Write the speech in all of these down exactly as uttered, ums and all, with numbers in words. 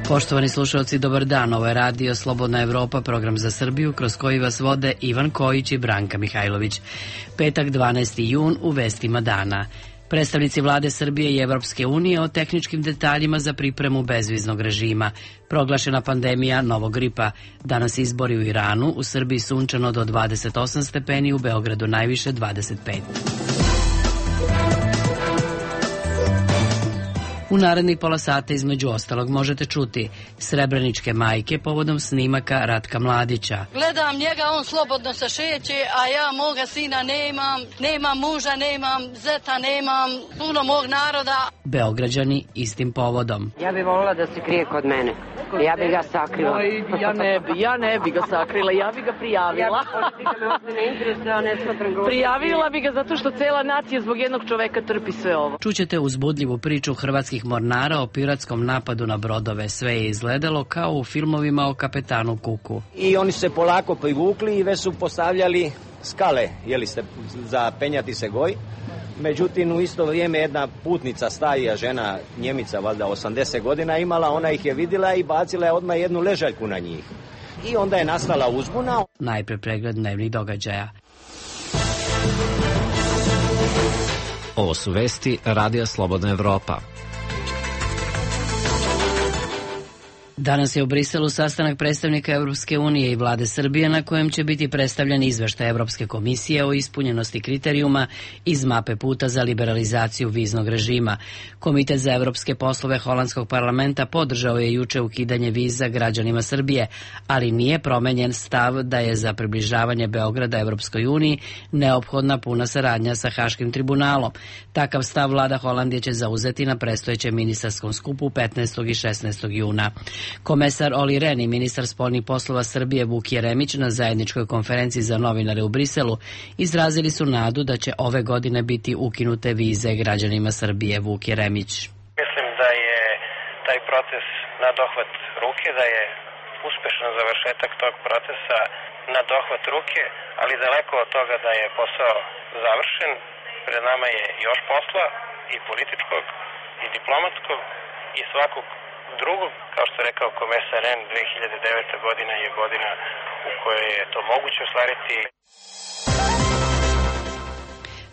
Poštovani slušalci, dobar dan. Ovo je Radio Slobodna Evropa, program za Srbiju, kroz koji vas vode Ivan Kojić i Branka Mihajlović. Petak, dvanaesti jun, u vestima dana. Predstavnici vlade Srbije i Evropske unije o tehničkim detaljima za pripremu bezviznog režima. Proglašena pandemija novog gripa. Danas izbori u Iranu, u Srbiji sunčano do dvadeset osam stepeni, u Beogradu najviše dvadeset pet. U narednih pola sata između ostalog možete čuti Srebreničke majke povodom snimaka Ratka Mladića. Gledam njega, on slobodno se šeće, a ja moga sina nemam, nemam muža, nemam zeta, nemam puno mog naroda. Beograđani istim povodom. Ja bih volila da se krije kod mene. Ja bih ga sakrila. Ja ne bi, ja ne bi ga sakrila, ja bi ga prijavila. Prijavila bi ga zato što cela nacija zbog jednog čoveka trpi sve ovo. Čućete uzbudljivu priču hrvatskih mornara o piratskom napadu na brodove. Sve je izgledalo kao u filmovima o kapetanu Kuku. I oni se polako privukli i već su postavljali skale, jeli ste, za penjati se goj. Međutim, u isto vrijeme jedna putnica, starija žena, Njemica, valjda osamdeset godina imala, ona ih je vidjela i bacila je odmah jednu ležaljku na njih. I onda je nastala uzbuna. Najpre pregled dnevnih događaja. Ovo su vesti Radija Slobodna Evropa. Danas je u Briselu sastanak predstavnika Evropske unije i vlade Srbije na kojem će biti predstavljen izveštaj Evropske komisije o ispunjenosti kriterijuma iz mape puta za liberalizaciju viznog režima. Komitet za evropske poslove holandskog parlamenta podržao je juče ukidanje viza građanima Srbije, ali nije promenjen stav da je za približavanje Beograda Evropskoj uniji neophodna puna saradnja sa Haškim tribunalom. Takav stav vlada Holandije će zauzeti na predstojećem ministarskom skupu petnaestog i šesnaestog juna. Komesar Oli Ren i ministar spoljnih poslova Srbije Vuk Jeremić na zajedničkoj konferenciji za novinare u Briselu izrazili su nadu da će ove godine biti ukinute vize građanima Srbije. Vuk Jeremić. Mislim da je taj proces na dohvat ruke, da je uspešan završetak tog procesa na dohvat ruke, ali daleko od toga da je posao završen. Pred nama je još posla i političkog i diplomatskog i svakog drugog, kao što je rekao komesar Ren, dve hiljade deveta godina je godina u kojoj je to moguće ostvariti.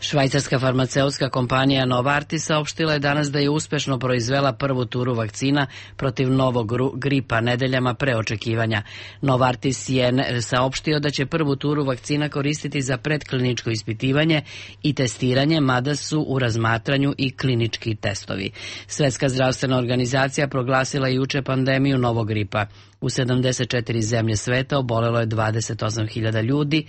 Švajcarska farmaceutska kompanija Novartis saopštila je danas da je uspešno proizvela prvu turu vakcina protiv novog gripa nedeljama pre očekivanja. Novartis je saopštio da će prvu turu vakcina koristiti za predkliničko ispitivanje i testiranje, mada su u razmatranju i klinički testovi. Svetska zdravstvena organizacija proglasila je juče pandemiju novog gripa. U sedamdeset četiri zemlje sveta obolelo je dvadeset osam hiljada ljudi,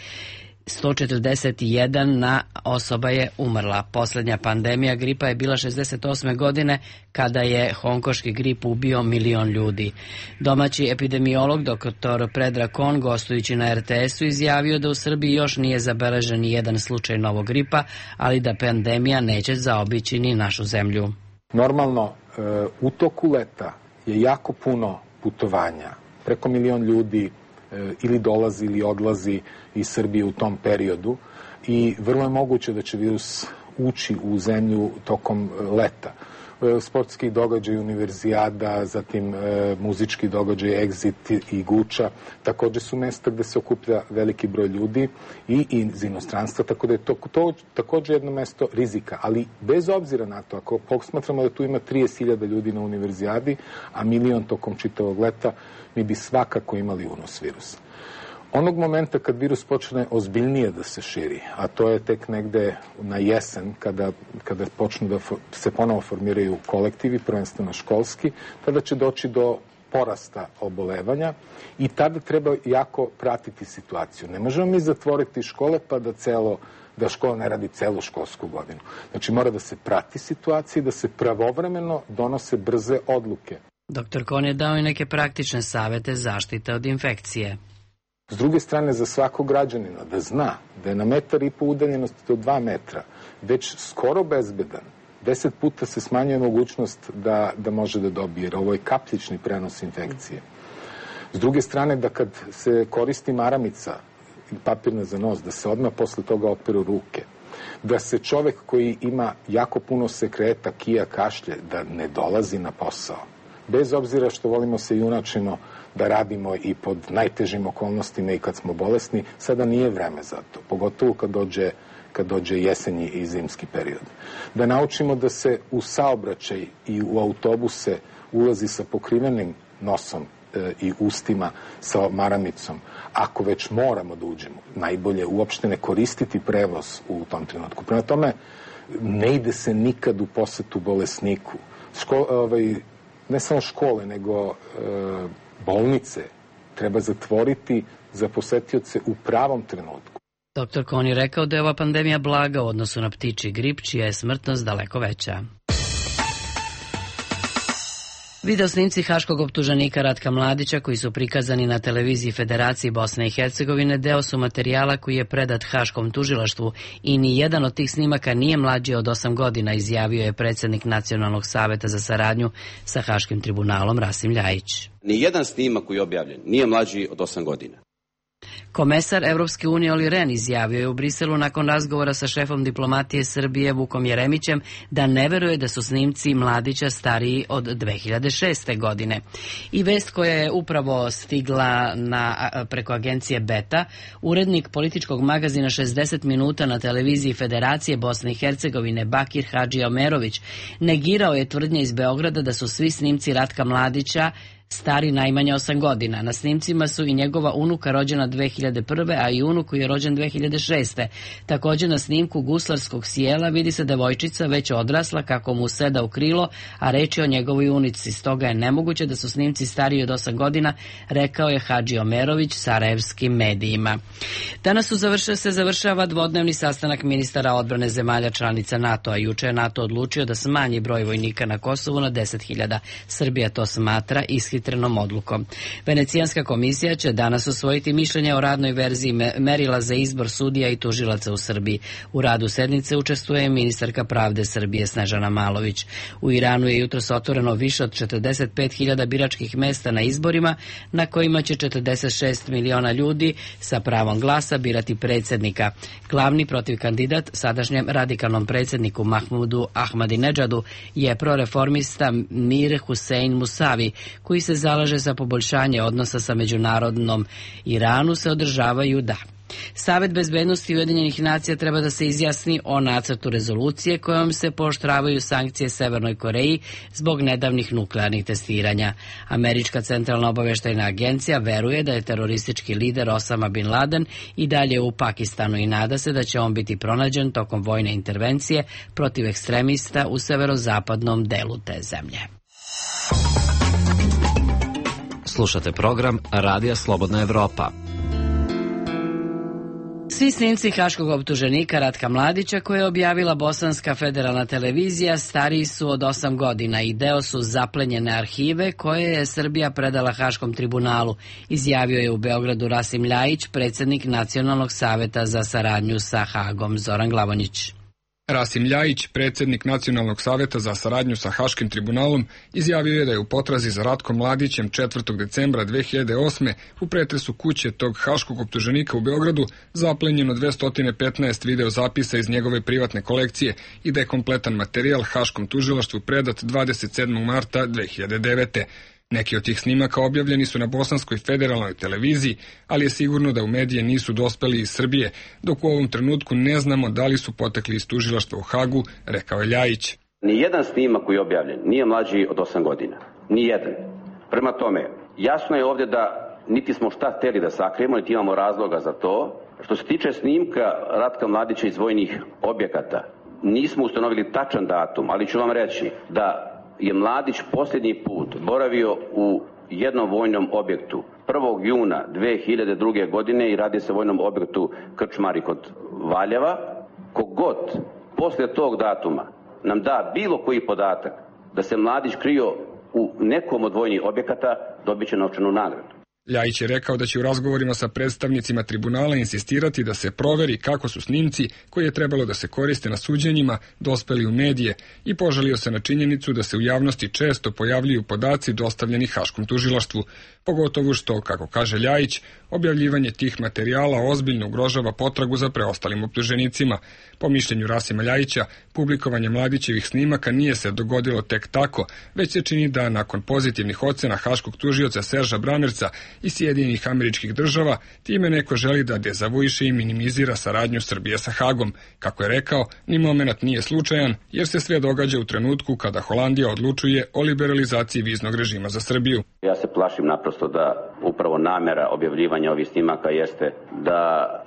sto četrdeset jedna osoba je umrla. Poslednja pandemija gripa je bila šezdeset osme godine kada je hongkoški grip ubio milion ljudi. Domaći epidemiolog doktor Predrag Kon, gostujući na er te esu, izjavio da u Srbiji još nije zabeležen ni jedan slučaj novog gripa, ali da pandemija neće zaobići ni našu zemlju. Normalno, u toku leta je jako puno putovanja. Preko milion ljudi ili dolazi ili odlazi iz Srbije u tom periodu i vrlo je moguće da će virus ući u zemlju tokom leta. Sportski događaj, univerzijada, zatim e, muzički događaj, Exit i Guča, također su mesta gde se okuplja veliki broj ljudi i iz inostranstva, tako da je to, to također jedno mesto rizika. Ali bez obzira na to, ako posmatramo da tu ima trideset hiljada ljudi na univerzijadi, a milion tokom čitavog leta, mi bi svakako imali unos virusa. Onog momenta kad virus počne ozbiljnije da se širi, a to je tek negde na jesen, kada, kada počnu da se ponovo formiraju kolektivi, prvenstveno školski, tada će doći do porasta obolevanja i tada treba jako pratiti situaciju. Ne možemo mi zatvoriti škole pa da celo da škola ne radi celu školsku godinu. Znači mora da se prati situacija i da se pravovremeno donose brze odluke. Doktor Kon je dao i neke praktične savete zaštite od infekcije. S druge strane, za svakog građanina da zna da je na metar i po udaljenosti do dva metra već skoro bezbedan, deset puta se smanjuje mogućnost da, da može da dobije, jer ovo je kapljični prenos infekcije. S druge strane, da kad se koristi maramica ili papirna za nos, da se odmah posle toga operu ruke, da se čovek koji ima jako puno sekreta, kija, kašlje, da ne dolazi na posao, bez obzira što volimo se junačino da radimo i pod najtežim okolnostima i kad smo bolesni, sada nije vreme za to, pogotovo kad dođe, kad dođe jesenji i zimski period. Da naučimo da se u saobraćaj i u autobuse ulazi sa pokrivenim nosom e, i ustima, sa maramicom. Ako već moramo da uđemo, najbolje uopšte ne koristiti prevoz u tom trenutku. Prema tome, ne ide se nikad u posetu bolesniku. Ško, ovaj, ne samo škole, nego e, bolnice treba zatvoriti za posetioce u pravom trenutku. Doktor Kon je rekao da je ova pandemija blaga u odnosu na ptičji grip, čija je smrtnost daleko veća. Video snimci haškog optuženika Ratka Mladića, koji su prikazani na televiziji Federacije Bosne i Hercegovine, deo su materijala koji je predat haškom tužilaštvu i ni jedan od tih snimaka nije mlađi od osam godina, izjavio je predsjednik Nacionalnog saveta za saradnju sa Haškim tribunalom Rasim Ljajić. Ni jedan snimak koji je objavljen nije mlađi od osam godina. Komesar Evropske unije Oli Ren izjavio je u Briselu nakon razgovora sa šefom diplomatije Srbije Vukom Jeremićem da ne veruje da su snimci Mladića stariji od dve hiljade šeste. godine. I vest koja je upravo stigla na, preko agencije Beta, urednik političkog magazina šezdeset minuta na televiziji Federacije Bosne i Hercegovine Bakir Hadži Omerović negirao je tvrdnje iz Beograda da su svi snimci Ratka Mladića stari najmanje osam godina. Na snimcima su i njegova unuka rođena dve hiljade prve. a i unuk koji je rođen dve hiljade šeste. Također na snimku guslarskog sjela vidi se devojčica već odrasla kako mu seda u krilo, a reč je o njegovoj unici. Stoga je nemoguće da su snimci stariji od osam godina, rekao je Hadži Omerović sarajevskim medijima. Danas su završava, se završava dvodnevni sastanak ministara odbrane zemalja članica NATO-a. Juče je NATO odlučio da smanji broj vojnika na Kosovu na deset hiljada. Srbija to smatra ishitrenom odlukom. Venecijanska komisija će danas usvojiti mišljenje o radnoj verziji merila za izbor sudija i tužilaca u Srbiji. U radu sednice učestvuje ministarka pravde Srbije Snežana Malović. U Iranu je jutros otvoreno više od četrdeset pet hiljada biračkih mesta na izborima na kojima će četrdeset šest miliona ljudi sa pravom glasa birati predsjednika. Glavni protiv kandidat sadašnjem radikalnom predsjedniku Mahmudu Ahmadinedžadu je proreformista Mir Hussein Musavi, koji se zalaže za poboljšanje odnosa sa međunarodnom Iranu, se održavaju da. Savet bezbednosti Ujedinjenih nacija treba da se izjasni o nacrtu rezolucije kojom se pooštravaju sankcije Severnoj Koreji zbog nedavnih nuklearnih testiranja. Američka centralna obaveštajna agencija veruje da je teroristički lider Osama Bin Laden i dalje u Pakistanu i nada se da će on biti pronađen tokom vojne intervencije protiv ekstremista u severozapadnom delu te zemlje. Slušate program Radija Slobodna Evropa. Svi snimci haškog optuženika Ratka Mladića koje je objavila Bosanska federalna televizija stariji su od osam godina i deo su zaplenjene arhive koje je Srbija predala Haškom tribunalu, izjavio je u Beogradu Rasim Ljajić, predsjednik Nacionalnog saveta za saradnju sa Hagom. Zoran Glavonjić. Rasim Ljajić, predsjednik Nacionalnog saveta za saradnju sa Haškim tribunalom, izjavio je da je u potrazi za Ratkom Mladićem četvrtog decembra dve hiljade osme. u pretresu kuće tog haškog optuženika u Beogradu zaplenjeno dvesta petnaest videozapisa iz njegove privatne kolekcije i da je kompletan materijal Haškom tužilaštvu predat dvadeset sedmog marta dve hiljade devete. Neki od tih snimaka objavljeni su na Bosanskoj federalnoj televiziji, ali je sigurno da u medije nisu dospeli iz Srbije, dok u ovom trenutku ne znamo da li su potekli iz tužilaštva u Hagu, rekao je Ljajić. Nijedan snimak koji je objavljen nije mlađi od osam godina. Nijedan. Prema tome, jasno je ovdje da niti smo šta hteli da sakrijemo, niti imamo razloga za to. Što se tiče snimka Ratka Mladića iz vojnih objekata, nismo ustanovili tačan datum, ali ću vam reći da je Mladić posljednji put boravio u jednom vojnom objektu prvog juna dve hiljade druge. godine i radi se o vojnom objektu Krčmari kod Valjeva. Kogod poslije tog datuma nam da bilo koji podatak da se Mladić krio u nekom od vojnih objekata, dobit će novčanu nagradu. Ljajić je rekao da će u razgovorima sa predstavnicima tribunala insistirati da se proveri kako su snimci, koji je trebalo da se koriste na suđenjima, dospeli u medije i požalio se na činjenicu da se u javnosti često pojavljuju podaci dostavljeni Haškom tužilaštvu, pogotovo što, kako kaže Ljajić, objavljivanje tih materijala ozbiljno ugrožava potragu za preostalim optuženicima. Po mišljenju Rasima Ljajića, publikovanje Mladićevih snimaka nije se dogodilo tek tako, već se čini da nakon pozitivnih ocena haškog tužioca Serža Bramerca i Sjedinjenih Američkih Država, time neko želi da dezavuiše i minimizira saradnju Srbije sa Hagom. Kako je rekao, ni moment nije slučajan, jer se sve događa u trenutku kada Holandija odlučuje o liberalizaciji viznog režima za Srbiju. Ja se plašim naprosto da upravo namera objavljivanja ovih snimaka jeste da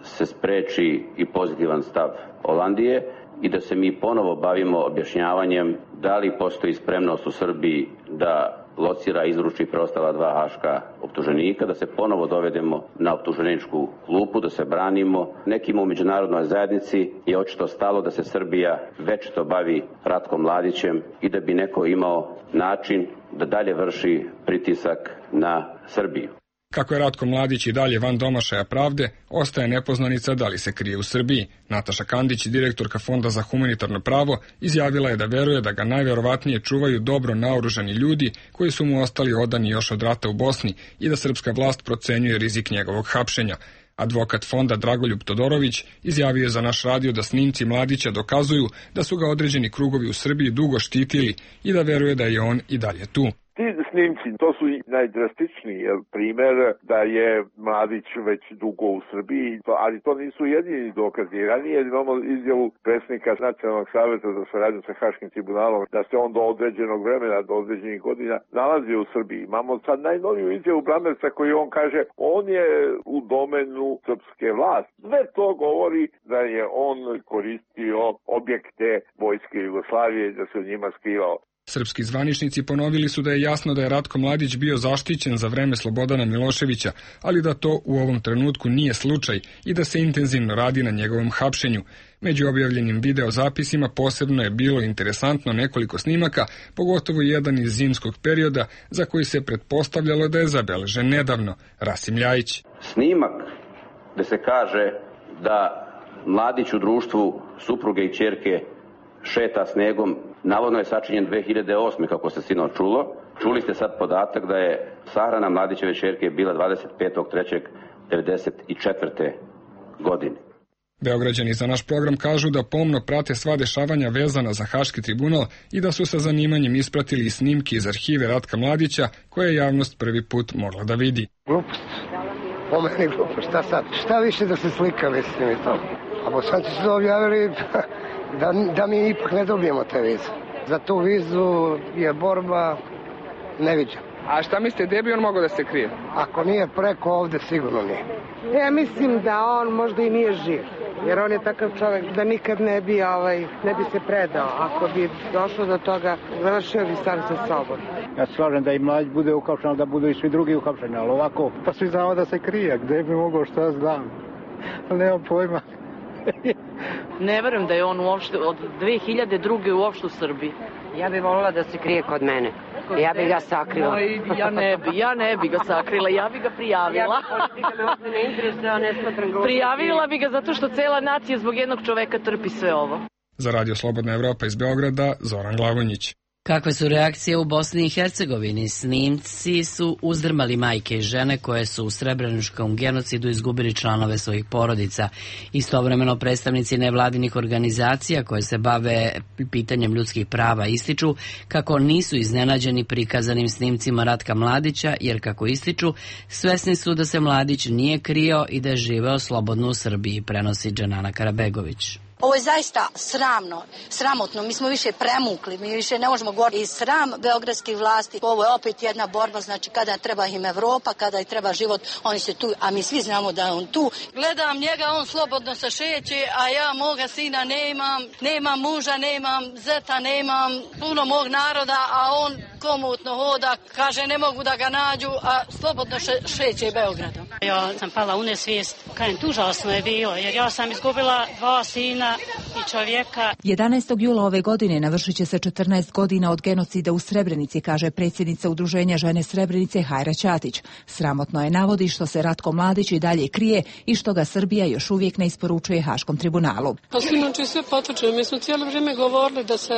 se spreči i pozitivan stav Holandije i da se mi ponovo bavimo objašnjavanjem da li postoji spremnost u Srbiji da locira i izruči preostala dva haška optuženika, da se ponovo dovedemo na optuženičku klupu, da se branimo. Nekima u međunarodnoj zajednici je očito stalo da se Srbija večito bavi Ratkom Mladićem i da bi neko imao način da dalje vrši pritisak na Srbiju. Kako je Ratko Mladić i dalje van domašaja pravde, ostaje nepoznanica da li se krije u Srbiji. Nataša Kandić, direktorka Fonda za humanitarno pravo, izjavila je da veruje da ga najverovatnije čuvaju dobro naoružani ljudi koji su mu ostali odani još od rata u Bosni i da srpska vlast procenjuje rizik njegovog hapšenja. Advokat fonda Dragoljub Todorović izjavio je za naš radio da snimci Mladića dokazuju da su ga određeni krugovi u Srbiji dugo štitili i da veruje da je on i dalje tu. Ti snimci, to su najdrastičniji primer da je Mladić već dugo u Srbiji, ali to nisu jedini dokazi. Ranije imamo izjavu predsjednika Nacionalnog saveta za saradnju sa Haškim tribunalom da se on do određenog vremena, do određenih godina nalazio u Srbiji. Imamo sad najnoviju izjavu Bramerca koji on kaže on je u domenu srpske vlasti. Sve to govori da je on koristio objekte vojske Jugoslavije, da se u njima skrivao. Srpski zvaničnici ponovili su da je jasno da je Ratko Mladić bio zaštićen za vreme Slobodana Miloševića, ali da to u ovom trenutku nije slučaj i da se intenzivno radi na njegovom hapšenju. Među objavljenim videozapisima posebno je bilo interesantno nekoliko snimaka, pogotovo jedan iz zimskog perioda za koji se pretpostavljalo da je zabeležen nedavno. Rasim Ljajić. Snimak gde se kaže da Mladić u društvu supruge i ćerke šeta snegom, navodno je sačinjen dve hiljade osme. kako se sinoć čulo. Čuli ste sad podatak da je sahrana Mladićeve ćerke bila dvadeset petog trećeg devedeset četvrte. godine. Beograđani za naš program kažu da pomno prate sva dešavanja vezana za Haški tribunal i da su sa zanimanjem ispratili snimke iz arhive Ratka Mladića koje je javnost prvi put mogla da vidi. Glupost. Po meni glupost. Šta sad? Šta više da se slika, mislim i to. A Bosanci su objavili da, da mi ipak ne dobijemo te vize. Za tu vizu je borba neviđena. A šta mislite, gdje bi on mogao da se krije? Ako nije preko ovde, sigurno nije. Ja mislim da on možda i nije živ, jer on je takav čovjek da nikad ne bi, ovaj, ne bi se predao. Ako bi došlo do toga, završio bi sam sa sobom. Ja se slažem da i Mladić bude uhapšen, ali da budu i svi drugi uhapšeni, ali ovako, pa svi znamo da se krije, gdje bi mogao, šta znam, ali nemam pojma. Ne verujem da je on uopšte od dve hiljade druge uopšte u Srbiji. Ja bih volila da se krije kod mene. Ja bih ga sakrila. No, ja ne bi, ja ne bi ga sakrila, ja bi ga prijavila. Prijavila bi ga zato što cela nacija zbog jednog čoveka trpi sve ovo. Za Radio Slobodna Evropa iz Beograda, Zoran Glavonjić. Kakve su reakcije u Bosni i Hercegovini? Snimci su uzdrmali majke i žene koje su u srebreničkom genocidu izgubili članove svojih porodica. Istovremeno predstavnici nevladinih organizacija koje se bave pitanjem ljudskih prava ističu kako nisu iznenađeni prikazanim snimcima Ratka Mladića, jer kako ističu, svesni su da se Mladić nije krio i da je živeo slobodno u Srbiji, prenosi Dženana Karabegović. Ovo je zaista sramno, sramotno, mi smo više premukli, mi više ne možemo govoriti i sram beogradskih vlasti. Ovo je opet jedna borba, znači kada treba im Evropa, kada im treba život, oni se tu, a mi svi znamo da je on tu. Gledam njega, on slobodno se šeće, a ja moga sina nemam, nemam muža, nemam zeta, nemam puno mog naroda, a on komotno hoda, kaže ne mogu da ga nađu, a slobodno še, šeće Beogradom. Ja sam pala u nesvijest, kažem, užasno je bilo, jer ja sam izgubila dva sina i čovjeka. jedanaestog jula ove godine navršit će se četrnaest godina od genocida u Srebrenici, kaže predsjednica Udruženja žene Srebrenice Hajra Ćatić. Sramotno je, navodi, što se Ratko Mladić i dalje krije i što ga Srbija još uvijek ne isporučuje Haškom tribunalu. Pa znači sve potvrđeno. Mi smo cijelo vrijeme govorili da se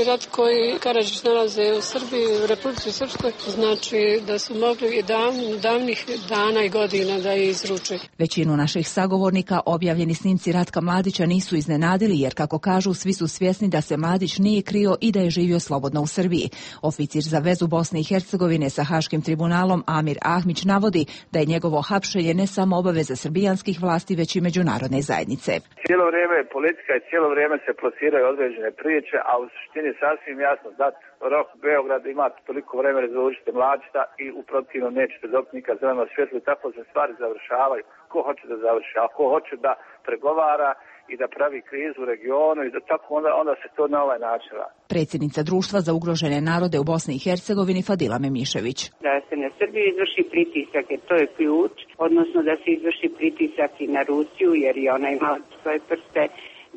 i Ratko i Karadžić nalaze u Srbiji, u Republici Srpskoj, znači da su mogli i davnih, davnih dana i godina da je izruče. Većinu naših sagovornika objavljeni snimci Ratka Mladića nisu iznenadili, jer kako kažu, svi su svjesni da se Mladić nije krio i da je živio slobodno u Srbiji. Oficir za vezu Bosne i Hercegovine sa Haškim tribunalom Amir Ahmić navodi da je njegovo hapšenje ne samo obaveza srbijanskih vlasti, već i međunarodne zajednice. Cijelo vrijeme politika i cijelo vrijeme se plasiraju određene priče, a u suštini sasvim jasno dat rok Beograd ima toliko vremena da završite Mladića i u protivnom nećete dobiti nikad zeleno svjetlo i tako se stvari završavaju. Ko hoće da završi, a ko hoće da pregovara i da pravi krizu u regionu i da tako onda, onda se to na ovaj način radi. Predsjednica Društva za ugrožene narode u Bosni i Hercegovini Fadila Memišević. Da se na Srbiju izvrši pritisak, jer to je ključ, odnosno da se izvrši pritisak i na Rusiju, jer je ona imala svoje prste,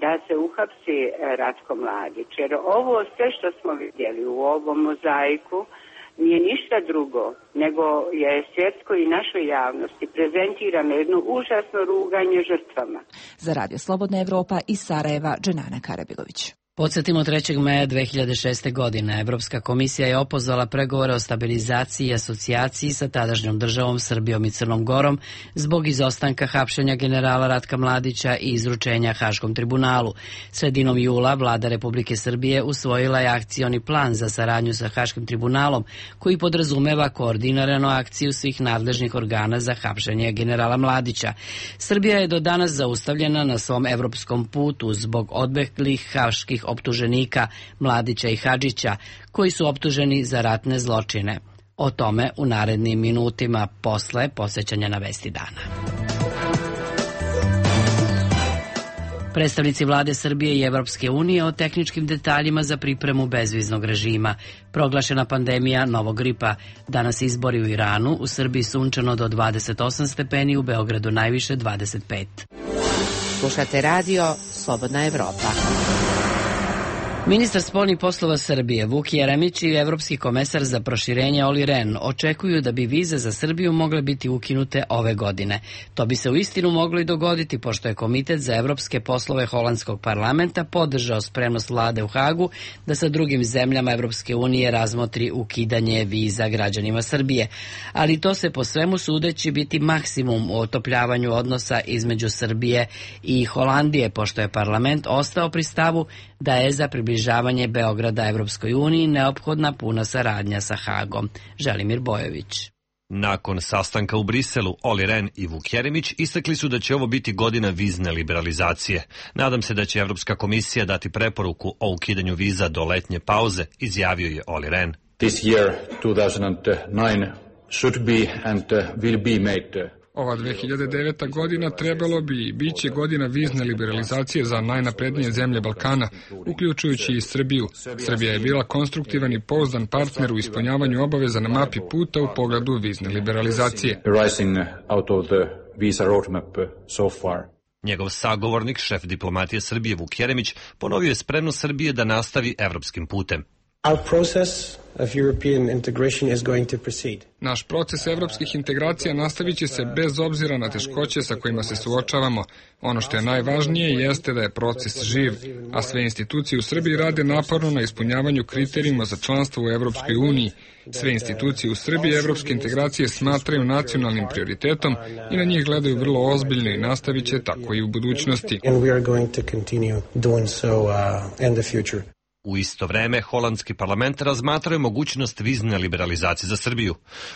da se uhapsi Ratko Mladić. Jer ovo sve što smo vidjeli u ovom mozaiku nije ništa drugo, nego je svjetskoj i našoj javnosti prezentirano jedno užasno ruganje žrtvama. Za Radio Slobodna Evropa iz Sarajeva, Dženana Karabilović. Podsjetimo, trećeg maja dve hiljade šeste. godine Evropska komisija je opozvala pregovore o stabilizaciji i asocijaciji sa tadašnjom državom Srbijom i Crnom Gorom zbog izostanka hapšenja generala Ratka Mladića i izručenja Haškom tribunalu. Sredinom jula vlada Republike Srbije usvojila je akcioni plan za saradnju sa Haškim tribunalom, koji podrazumeva koordiniranu akciju svih nadležnih organa za hapšenje generala Mladića. Srbija je do danas zaustavljena na svom evropskom putu zbog odbeglih haških optuženika Mladića i Hadžića, koji su optuženi za ratne zločine. O tome u narednim minutima posle posjećanja na Vesti dana. Predstavnici vlade Srbije i Evropske unije o tehničkim detaljima za pripremu bezviznog režima. Proglašena pandemija novog gripa. Danas izbori u Iranu, u Srbiji sunčano do dvadeset osam stepeni, u Beogradu najviše dvadeset pet. Slušate radio Slobodna Evropa. Ministar spoljnih poslova Srbije Vuk Jeremić i evropski komesar za proširenje Olli Rehn očekuju da bi vize za Srbiju mogle biti ukinute ove godine. To bi se uistinu moglo i dogoditi, pošto je Komitet za evropske poslove holandskog parlamenta podržao spremnost vlade u Hagu da sa drugim zemljama Evropske unije razmotri ukidanje viza građanima Srbije. Ali to se po svemu sudeći biti maksimum u otopljavanju odnosa između Srbije i Holandije, pošto je parlament ostao pri stavu da je za približavanje Beograda Evropskoj uniji neophodna puna saradnja sa Hagom. Želimir Bojović. Nakon sastanka u Briselu, Olli Rehn i Vuk Jeremić istakli su da će ovo biti godina vizne liberalizacije. Nadam se da će Evropska komisija dati preporuku o ukidanju viza do letnje pauze, izjavio je Olli Rehn. This year, two thousand nine, should be and will be made Ova dve hiljade deveta. godina trebalo bi i bit će godina vizne liberalizacije za najnaprednije zemlje Balkana, uključujući i Srbiju. Srbija je bila konstruktivan i pouzdan partner u ispunjavanju obaveza na mapi puta u pogledu vizne liberalizacije. Njegov sagovornik, šef diplomatije Srbije Vuk Jeremić, ponovio je spremnost Srbije da nastavi evropskim putem. Our process of European integration is going to proceed. Naš proces evropskih integracija nastavit će se bez obzira na teškoće sa kojima se suočavamo. Ono što je najvažnije jeste da je proces živ, a sve institucije u Srbiji rade naporno na ispunjavanju kriterijuma za članstvo u Evropskoj uniji. Sve institucije u Srbiji evropske integracije smatraju nacionalnim prioritetom i na njih gledaju vrlo ozbiljno i nastavit će tako i u budućnosti. And we are going to continue doing so uh, in the future. U isto vreme, holandski parlament razmatraju mogućnost vizne liberalizacije za Srbiju.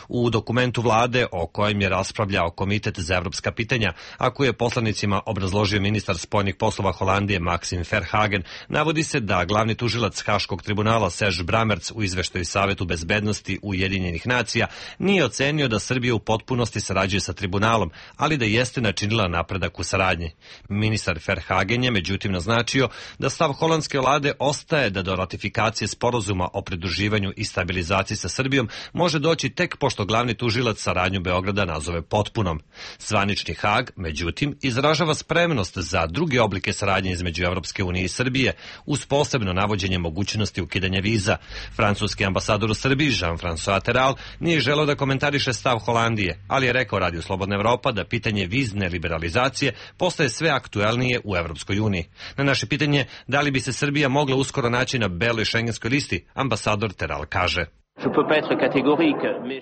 U dokumentu vlade o kojem je raspravljao Komitet za evropska pitanja, a koje je poslanicima obrazložio ministar spoljnih poslova Holandije Maxim Verhagen, navodi se da glavni tužilac Haškog tribunala Serge Brammertz u izveštaju Savetu bezbednosti Ujedinjenih nacija nije ocenio da Srbija u potpunosti sarađuje sa tribunalom, ali da jeste načinila napredak u saradnji. Ministar Verhagen je međutim naznačio da stav holandske vlade ostaje da da do ratifikacije sporazuma o pridruživanju i stabilizaciji sa Srbijom može doći tek pošto glavni tužilac saradnju Beograda nazove potpunom. Zvanični Hag, međutim, izražava spremnost za druge oblike saradnje između Evropske unije i Srbije, uz posebno navođenje mogućnosti ukidanja viza. Francuski ambasador u Srbiji, Jean-François Terral, nije želeo da komentariše stav Holandije, ali je rekao Radio Slobodna Evropa da pitanje vizne liberalizacije postaje sve aktuelnije u Evropskoj uniji. Na naše pitanje da li bi se Srbija mogla uskoro naći na beloj šengenskoj listi, ambasador Terral kaže: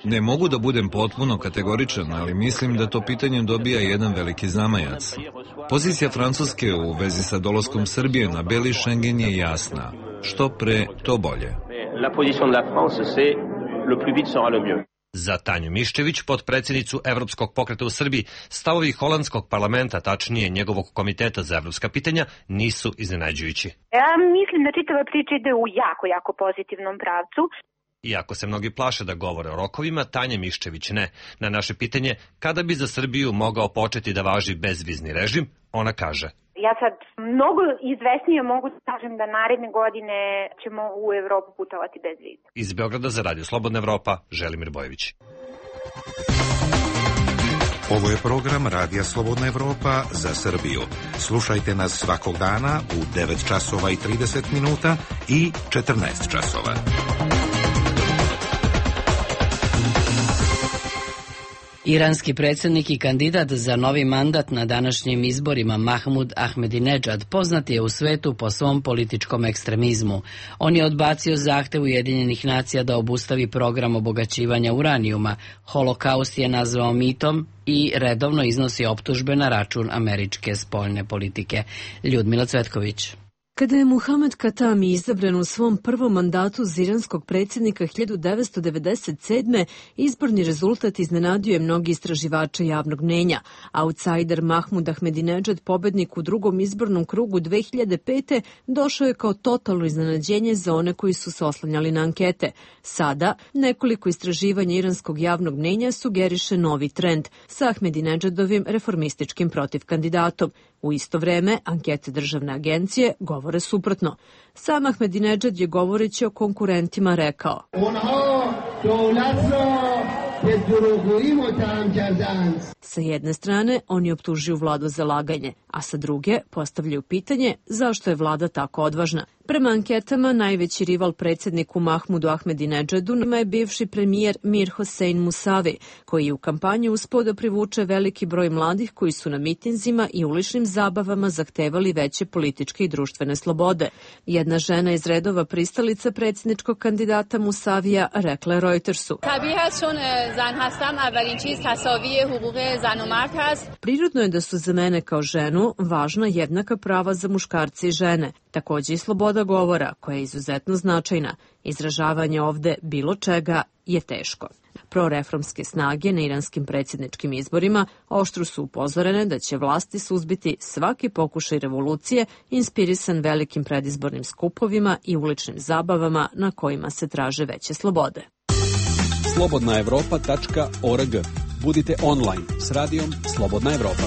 Ne mogu da budem potpuno kategoričan, ali mislim da to pitanje dobija jedan veliki zamajac. Pozicija Francuske u vezi sa dolaskom Srbije na beli Schengen je jasna. Što pre, to bolje. Za Tanju Miščević, potpredsjednicu Evropskog pokreta u Srbiji, stavovi holandskog parlamenta, tačnije njegovog komiteta za evropska pitanja, nisu iznenađujući. Ja mislim da čitava priča ide u jako, jako pozitivnom pravcu. Iako se mnogi plaše da govore o rokovima, Tanja Miščević ne. Na naše pitanje kada bi za Srbiju mogao početi da važi bezvizni režim, ona kaže: Ja sad mnogo izvesnije mogu da kažem da naredne godine ćemo u Evropu putovati bez viza. Iz Beograda za Radio Slobodna Evropa, Želimir Bojević. Ovo je program Radija Slobodna Evropa za Srbiju. Slušajte nas svakog dana u devet časova i trideset minuta i četrnaest časova. Iranski predsjednik i kandidat za novi mandat na današnjim izborima Mahmud Ahmedinedžad poznat je u svetu po svom političkom ekstremizmu. On je odbacio zahtev Ujedinjenih nacija da obustavi program obogaćivanja uranijuma, holokaust je nazvao mitom i redovno iznosi optužbe na račun američke spoljne politike. Ljudmila Cvetković. Kada je Muhamed Katami izabran u svom prvom mandatu za iranskog predsjednika hiljadu devetsto devedeset sedme. izborni rezultat iznenadio je mnogi istraživače javnog mnenja. Outsider Mahmud Ahmedinedžad, pobednik u drugom izbornom krugu dve hiljade pete. došao je kao totalno iznenađenje za one koji su se oslanjali na ankete. Sada, nekoliko istraživanja iranskog javnog mnenja sugeriše novi trend sa Ahmedinedžadovim reformističkim protivkandidatom. U isto vreme, ankete državne agencije govore suprotno. Sam Ahmedinedžad je govoreći o konkurentima rekao: Sa jedne strane, oni optužuju vladu za laganje, a sa druge postavljaju pitanje zašto je vlada tako odvažna. Prema anketama, najveći rival predsjedniku Mahmudu Ahmedinedžadu je bivši premijer Mir Hossein Musavi, koji je u kampanji uspeo da privuče veliki broj mladih koji su na mitinzima i uličnim zabavama zahtevali veće političke i društvene slobode. Jedna žena iz redova pristalica predsjedničkog kandidata Musavija rekla je Reutersu: Prirodno je da su za mene kao ženu važna jednaka prava za muškarce i žene, takođe i sloboda govora, koja je izuzetno značajna. Izražavanje ovde bilo čega je teško. Proreformske snage na iranskim predsjedničkim izborima oštro su upozorene da će vlasti suzbiti svaki pokušaj revolucije inspirisan velikim predizbornim skupovima i uličnim zabavama na kojima se traže veće slobode. slobodna evropa tačka org. Budite online s radijom Slobodna Evropa.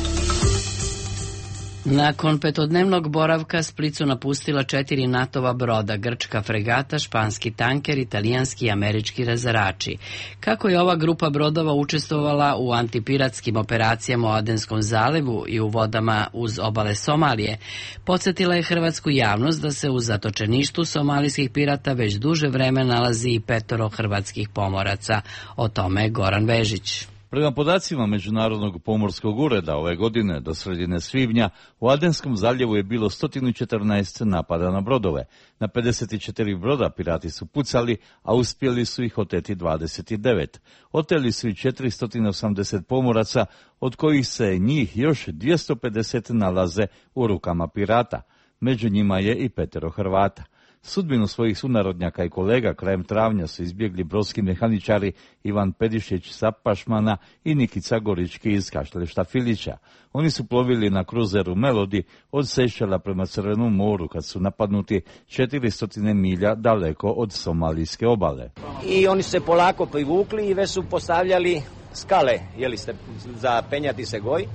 Nakon petodnevnog boravka Split su napustila četiri NATO-va broda, grčka fregata, španski tanker, italijanski i američki razarači. Kako je ova grupa brodova učestvovala u antipiratskim operacijama u Adenskom zalivu i u vodama uz obale Somalije, podsjetila je hrvatsku javnost da se u zatočeništu somalijskih pirata već duže vreme nalazi i petoro hrvatskih pomoraca. O tome Goran Vežić. Prema podacima Međunarodnog pomorskog ureda ove godine do sredine svibnja u Adenskom zaljevu je bilo sto četrnaest napada na brodove. Na pedeset četiri broda pirati su pucali, a uspjeli su ih oteti dvadeset devet. Oteli su i četiristo osamdeset pomoraca, od kojih se njih još dvjesto pedeset nalaze u rukama pirata. Među njima je i petero Hrvata. Sudbinu svojih sunarodnjaka i kolega krajem travnja su izbjegli brodski mehaničari Ivan Pedišić sa Pašmana i Nikica Gorički iz Kaštelešta Filića. Oni su plovili na kruzeru Melodi od Sejšela prema Crvenom moru kad su napadnuti četiristo milja daleko od somalijske obale. I oni se polako privukli i već su postavljali skale, jeli ste, za penjati se goj.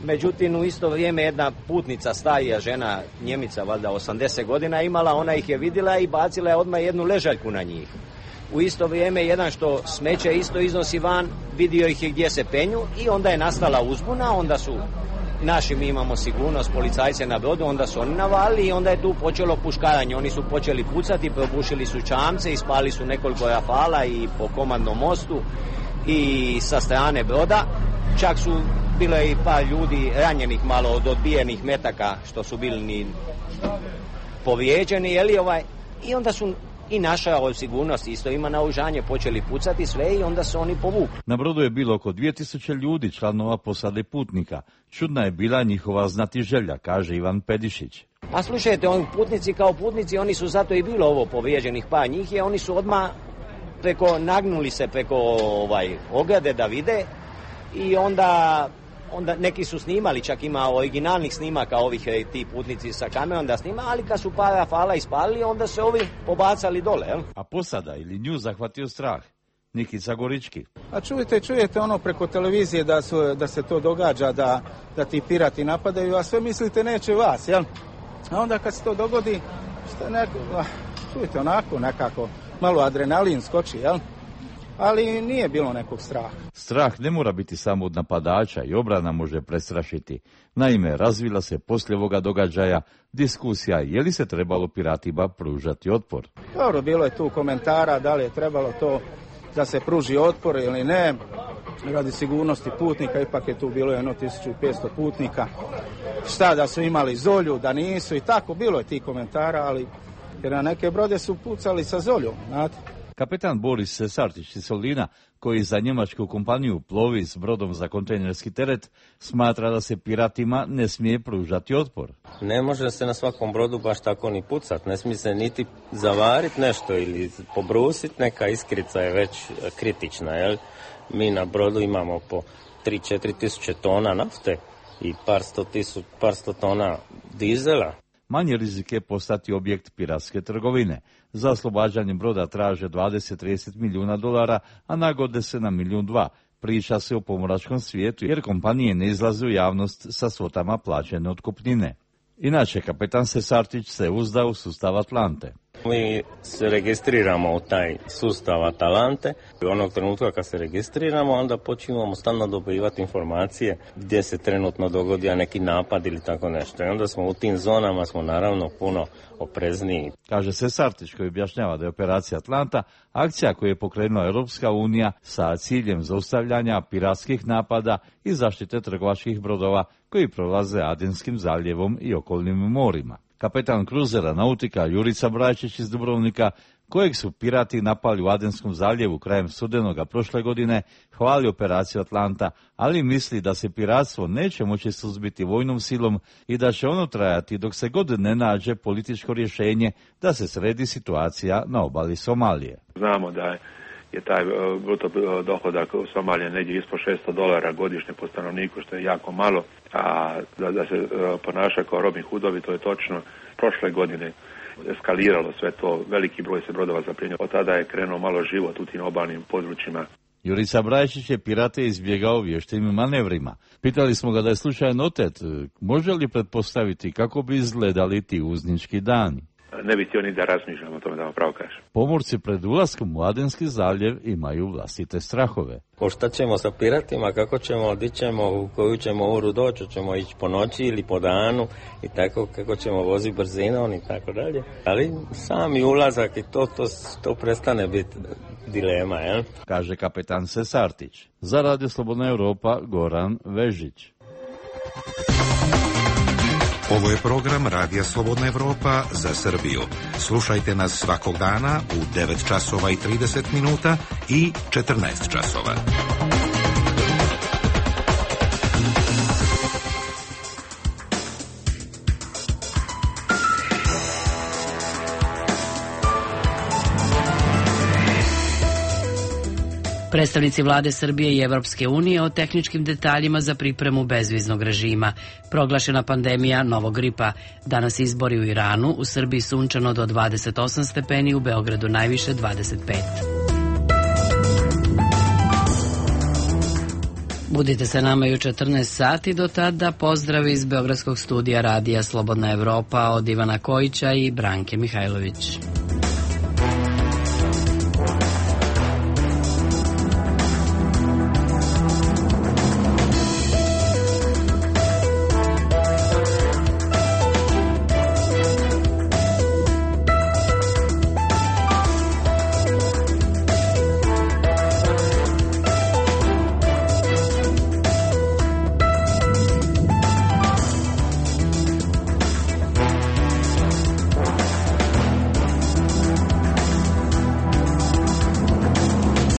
Međutim, u isto vrijeme jedna putnica, starija žena, Njemica, valjda osamdeset godina imala, ona ih je vidjela i bacila je odmah jednu ležaljku na njih. U isto vrijeme jedan što smeće isto iznosi van, vidio ih je gdje se penju i onda je nastala uzbuna, onda su naši, mi imamo sigurnost, policajce na brodu, onda su oni navalili i onda je tu počelo puškaranje. Oni su počeli pucati, probušili su čamce, ispali su nekoliko rafala i po komandnom mostu i sa strane broda. Čak su bilo i par ljudi ranjenih malo od odbijenih metaka što su bili ni povrijeđeni, jeli ovaj, i onda su i naša od sigurnosti isto ima naoružanje, počeli pucati sve i onda su oni povukli. Na brodu je bilo oko dvije tisuće ljudi, članova posade putnika. Čudna je bila njihova znatiželja, kaže Ivan Pedišić. A slušajte, oni putnici kao putnici, oni su zato i bilo ovo povrijeđenih par njih, je oni su odmah preko, nagnuli se preko ovaj, ograde da vide i onda, onda neki su snimali, čak ima originalnih snimaka ovih ti putnici sa kamerom da snima, ali kad su par rafala ispalili, onda se ovi pobacali dole. Jel? A posada ili nju zahvatio strah? Nikica Gorički. A čujete, čujete ono preko televizije da, su, da se to događa, da, da ti pirati napadaju, a sve mislite neće vas, jel? A onda kad se to dogodi, šta neko, čujete, onako nekako, malo adrenalin skoči, jel? Ali nije bilo nekog straha. Strah ne mora biti samo od napadača i obrana može prestrašiti. Naime, razvila se poslije ovoga događaja diskusija je li se trebalo piratima pružati otpor. Dobro, bilo je tu komentara da li je trebalo to da se pruži otpor ili ne. Radi sigurnosti putnika, ipak je tu bilo jedno tisuću petsto putnika. Šta da su imali zolju, da nisu i tako, bilo je tih komentara, ali jer na neke brode su pucali sa zoljom, znate. Kapetan Boris Sartić iz Solina, koji za njemačku kompaniju plovi s brodom za kontejnerski teret, smatra da se piratima ne smije pružati otpor. Ne može se na svakom brodu baš tako ni pucat, ne smije se niti zavariti nešto ili pobrusiti, neka iskrica je već kritična. Jel? Mi na brodu imamo po tri do četiri tisuće tona nafte i par sto, tisu, par sto tona dizela. Manji rizik je postati objekt piratske trgovine. Za oslobađanje broda traže dvadeset do trideset milijuna dolara, a nagode se na milijun dva. Priča se o pomoračkom svijetu jer kompanije ne izlaze u javnost sa svotama plaćene otkupnine. Inače, kapetan Sesartić se uzda u sustav Atlante. Mi se registriramo u taj sustav Atalante. Onog trenutka kad se registriramo, onda počinjemo stalno dobivati informacije gdje se trenutno dogodio neki napad ili tako nešto. I onda smo u tim zonama smo naravno puno oprezniji. Kaže Sesartić, koji objašnjava da je operacija Atlanta akcija koju je pokrenula Europska unija sa ciljem zaustavljanja piratskih napada i zaštite trgovačkih brodova koji prolaze Adenskim zaljevom i okolnim morima. Kapetan kruzera nautika Jurica Brajčić iz Dubrovnika, kojeg su pirati napali u Adenskom zaljevu krajem studenoga prošle godine, hvali operaciju Atlanta, ali misli da se piratstvo neće moći suzbiti vojnom silom i da će ono trajati dok se god ne nađe političko rješenje da se sredi situacija na obali Somalije. Znamo da je je taj bruto dohodak u Somaliji negdje ispod šesto dolara godišnje po stanovniku, što je jako malo, a da, da se ponaša kao Robin Hoodovi, to je točno. Prošle godine eskaliralo sve to, veliki broj se brodova zapljenio. Od tada je krenuo malo život u tim obalnim područjima. Jurica Brajčić je pirate izbjegao vještim manevrima. Pitali smo ga da je slučajan otet, može li pretpostaviti kako bi izgledali ti uznički dani? Ne bi htio ni da razmišljam o tome, da vam pravo kažem. Pomorci pred ulaskom u Adenski zaljev imaju vlastite strahove. O šta ćemo sa piratima, kako ćemo, di ćemo, u koju ćemo uru doći, ćemo ići po noći ili po danu i tako, kako ćemo voziti brzinom i tako dalje. Ali sami ulazak i to, to, to prestane biti dilema, jel? Kaže kapetan Sesartić. Za Radio Slobodna Europa, Goran Vežić. Ovo je program Radija Slobodna Evropa za Srbiju. Slušajte nas svakog dana u devet časova i trideset minuta i četrnaest časova. Predstavnici vlade Srbije i Evropske unije o tehničkim detaljima za pripremu bezviznog režima. Proglašena pandemija novog gripa. Danas izbori u Iranu, u Srbiji sunčano do dvadeset osam stepeni, u Beogradu najviše dvadeset pet. Budite se nama i u četrnaest sati, do tada pozdrav iz Beogradskog studija Radija Slobodna Evropa od Ivana Kojića i Branke Mihajlović.